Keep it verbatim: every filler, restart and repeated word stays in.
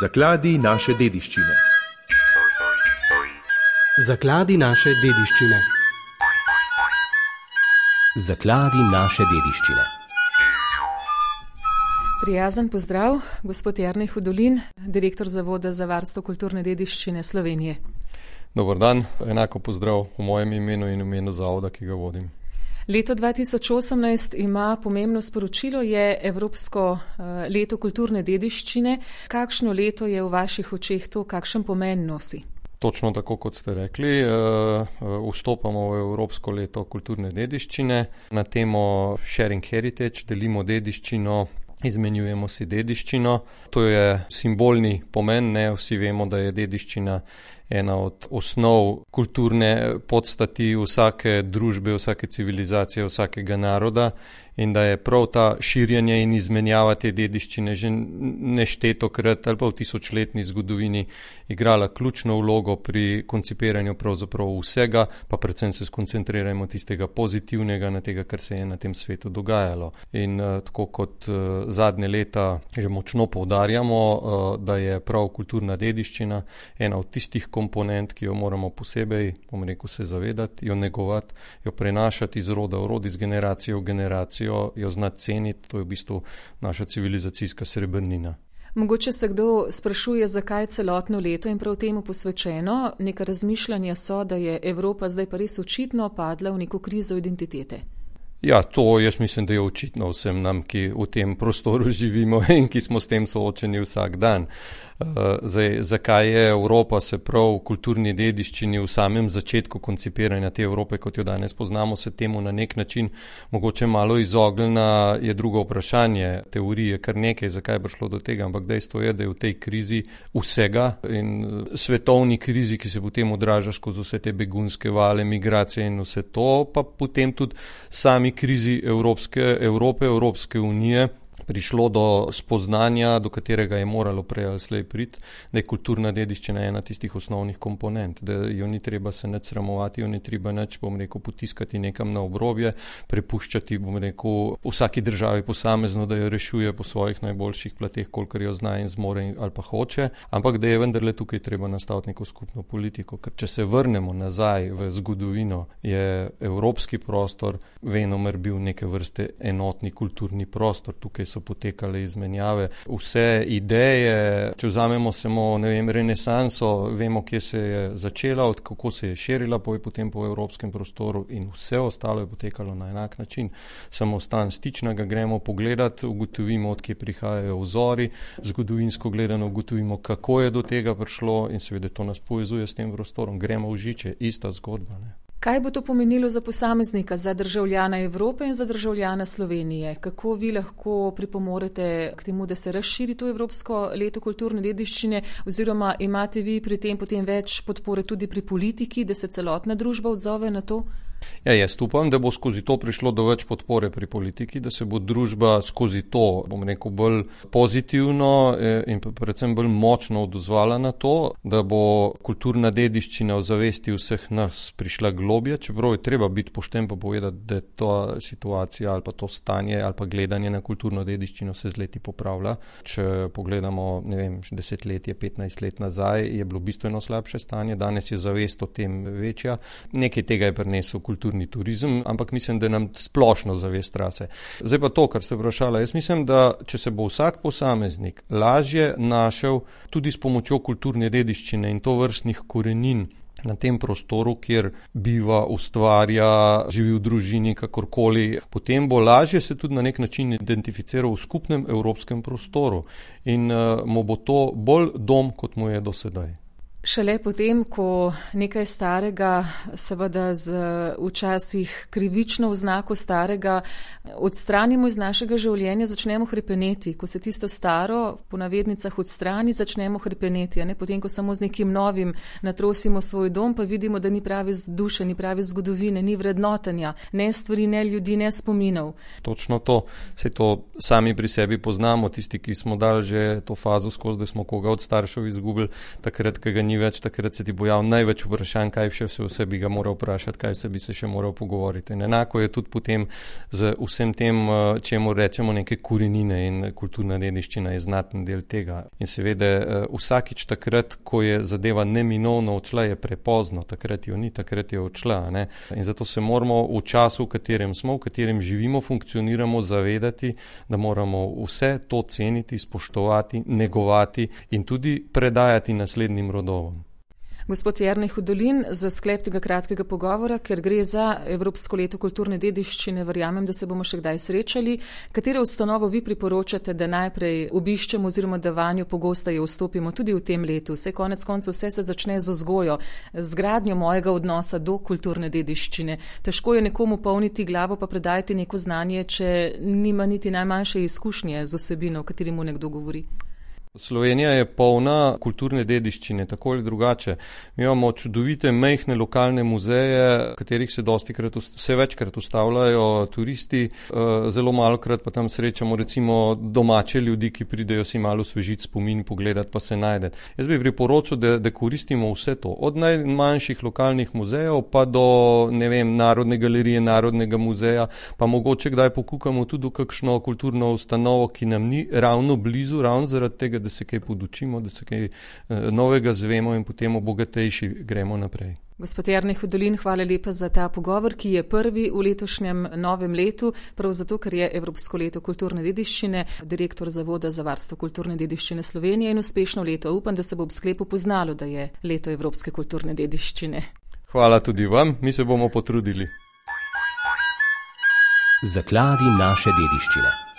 Zakladi naše dediščine. Zakladi naše dediščine. Zakladi naše dediščine. Prijazen pozdrav, gospod Jernej Hudolin, direktor Zavoda za varstvo kulturne dediščine Slovenije. Dober dan, enako pozdrav v mojem imenu in v imenu zavoda, ki ga vodim. Leto dva tisoč osemnajst ima pomembno sporočilo, je Evropsko leto kulturne dediščine. Kakšno leto je v vaših očeh to, kakšen pomen nosi? Točno tako, kot ste rekli, vstopamo v Evropsko leto kulturne dediščine na temo Sharing Heritage, delimo dediščino, izmenjujemo si dediščino. To je simbolni pomen, ne vsi vemo, da je dediščina ena od osnov kulturne podstati vsake družbe, vsake civilizacije, vsakega naroda in da je prav ta širjenje in izmenjava te dediščine že neštetokrat ali pa v tisočletni zgodovini igrala ključno vlogo pri koncipiranju pravzaprav vsega, pa predvsem se skoncentrirajmo tistega pozitivnega, na tega, kar se je na tem svetu dogajalo. In uh, tako kot uh, zadnje leta že močno poudarjamo, uh, da je prav kulturna dediščina ena od tistih komponent, ki jo moramo posebej, bom rekel, se zavedati, jo negovati, jo prenašati iz roda v rod, iz generacije v generacijo, jo znati ceniti, to je v bistvu naša civilizacijska srebrnina. Mogoče se kdo sprašuje, zakaj celotno leto in prav temu posvečeno. Neka razmišljanja so, da je Evropa zdaj pa res očitno padla v neko krizo identitete. Ja, to jaz mislim, da je očitno vsem nam, ki v tem prostoru živimo in ki smo s tem soočeni vsak dan. Zdaj, zakaj je Evropa se prav v kulturni dediščini v samem začetku koncipiranja te Evrope, kot jo danes poznamo, se temu na nek način mogoče malo izognila, je drugo vprašanje. Teorije kar nekaj, zakaj je prišlo do tega, ampak dejstvo je, da je v tej krizi vsega in svetovni krizi, ki se potem odraža skozi vse te begunske vale, migracije in vse to, pa potem tudi sami krizi Evropske, Evrope, Evropske unije, prišlo do spoznanja, do katerega je moralo prej ali slej priti, da je kulturna dediščina ena tistih osnovnih komponent, da jo ni treba se nič sramovati, jo ni treba nič, bom rekel, potiskati nekam na obrobje, prepuščati, bom rekel, vsaki državi posamezno, da jo rešuje po svojih najboljših plateh, kolikor jo zna in zmore ali pa hoče, ampak da je vendarle tukaj treba nastaviti neko skupno politiko, ker če se vrnemo nazaj v zgodovino, je evropski prostor venomer bil neke vrste enotni kulturni prostor, tukaj so potekale izmenjave. Vse ideje, če vzamemo samo, ne vem, renesanso, vemo, kje se je začela, od kako se je širila potem po evropskem prostoru in vse ostalo je potekalo na enak način. Samo stan stičnega gremo pogledati, ugotovimo, odkje prihajajo vzori, zgodovinsko gledano ugotovimo, kako je do tega prišlo in seveda to nas povezuje s tem prostorom. Gremo v žiče, ista zgodba, ne. Kaj bo to pomenilo za posameznika, za državljana Evrope in za državljana Slovenije? Kako vi lahko pripomorete k temu, da se razširi to Evropsko leto kulturne dediščine, oziroma imate vi pri tem potem več podpore tudi pri politiki, da se celotna družba odzove na to? Ja, jaz upam, da bo skozi to prišlo do več podpore pri politiki, da se bo družba skozi to, bom rekel, bolj pozitivno in predvsem bolj močno odzvala na to, da bo kulturna dediščina v zavesti vseh nas prišla globje, čeprav je treba biti pošten pa povedati, da je ta situacija ali pa to stanje ali pa gledanje na kulturno dediščino se z leti popravlja. Če pogledamo, ne vem, desetletje, petnajst let nazaj, je bilo bistveno slabše stanje, danes je zavest o tem večja. Nekaj tega je prinesel kulturni turizem, ampak mislim, da nam splošno zavest rase. Zdaj pa to, kar ste vprašala, jaz mislim, da če se bo vsak posameznik lažje našel tudi s pomočjo kulturne dediščine in to vrstnih korenin na tem prostoru, kjer biva, ustvarja, živi v družini, kakorkoli, potem bo lažje se tudi na nek način identificiral v skupnem evropskem prostoru in uh, mu bo to bolj dom, kot mu je do sedaj. Šele potem, ko nekaj starega, seveda z včasih krivično oznako starega, odstranimo iz našega življenja, začnemo hrepeneti. Ko se tisto staro, po navednicah, odstrani, začnemo hrepeneti. A ne? Potem, ko samo z nekim novim natrosimo svoj dom, pa vidimo, da ni prave duše, ni prave zgodovine, ni vrednotenja, ne stvari, ne ljudi, ne spominov. Točno to. Se to sami pri sebi poznamo, tisti, ki smo dali že to fazo skozi, da smo koga od staršev izgubili, takrat, ko ga ni več, takrat se ti bo javno največ vprašanj, kaj še vse, vse bi ga moral vprašati, kaj vse bi se še moral pogovoriti. In enako je tudi potem z vsem tem, čemu rečemo neke korenine, in kulturna dediščina je znaten del tega. In seveda vsakič takrat, ko je zadeva neminovno odšla, je prepozno, takrat jo ni, takrat je odšla. Ne? In zato se moramo v času, v katerem smo, v katerem živimo, funkcioniramo, zavedati, da moramo vse to ceniti, spoštovati, negovati in tudi predajati naslednjim rodovom. Gospod Jernej Hudolin, za sklep tega kratkega pogovora, ker gre za Evropsko leto kulturne dediščine, verjamem, da se bomo še kdaj srečali. Katero ustanovo vi priporočate, da najprej obiščemo oziroma da vanjo pogosteje vstopimo tudi v tem letu? Vse konec koncev vse se začne z vzgojo, z gradnjo mojega odnosa do kulturne dediščine. Težko je nekomu polniti glavo pa predajati neko znanje, če nima niti najmanjše izkušnje z osebino, o kateri mu nekdo govori. Slovenija je polna kulturne dediščine, tako ali drugače. Mi imamo čudovite, majhne lokalne muzeje, katerih se dostikrat, vse večkrat ustavljajo turisti, zelo malokrat pa tam srečamo recimo domače ljudi, ki pridejo si malo osvežiti spomin, pogledati pa se najde. Jaz bi priporočil, da, da koristimo vse to, od najmanjših lokalnih muzejev pa do, ne vem, Narodne galerije, Narodnega muzeja, pa mogoče kdaj pokukamo tudi v kakšno kulturno ustanovo, ki nam ni ravno blizu, ravno zaradi tega, da se kaj podučimo, da se kaj novega zvemo in potem obogatejši gremo naprej. Gospod Jernej Hudolin, hvala lepa za ta pogovor, ki je prvi v letošnjem novem letu, prav zato, ker je Evropsko leto kulturne dediščine, direktor Zavoda za varstvo kulturne dediščine Slovenije, in uspešno leto. Upam, da se bo ob sklepu poznalo, da je leto Evropske kulturne dediščine. Hvala tudi vam, mi se bomo potrudili. Zakladi naše dediščine.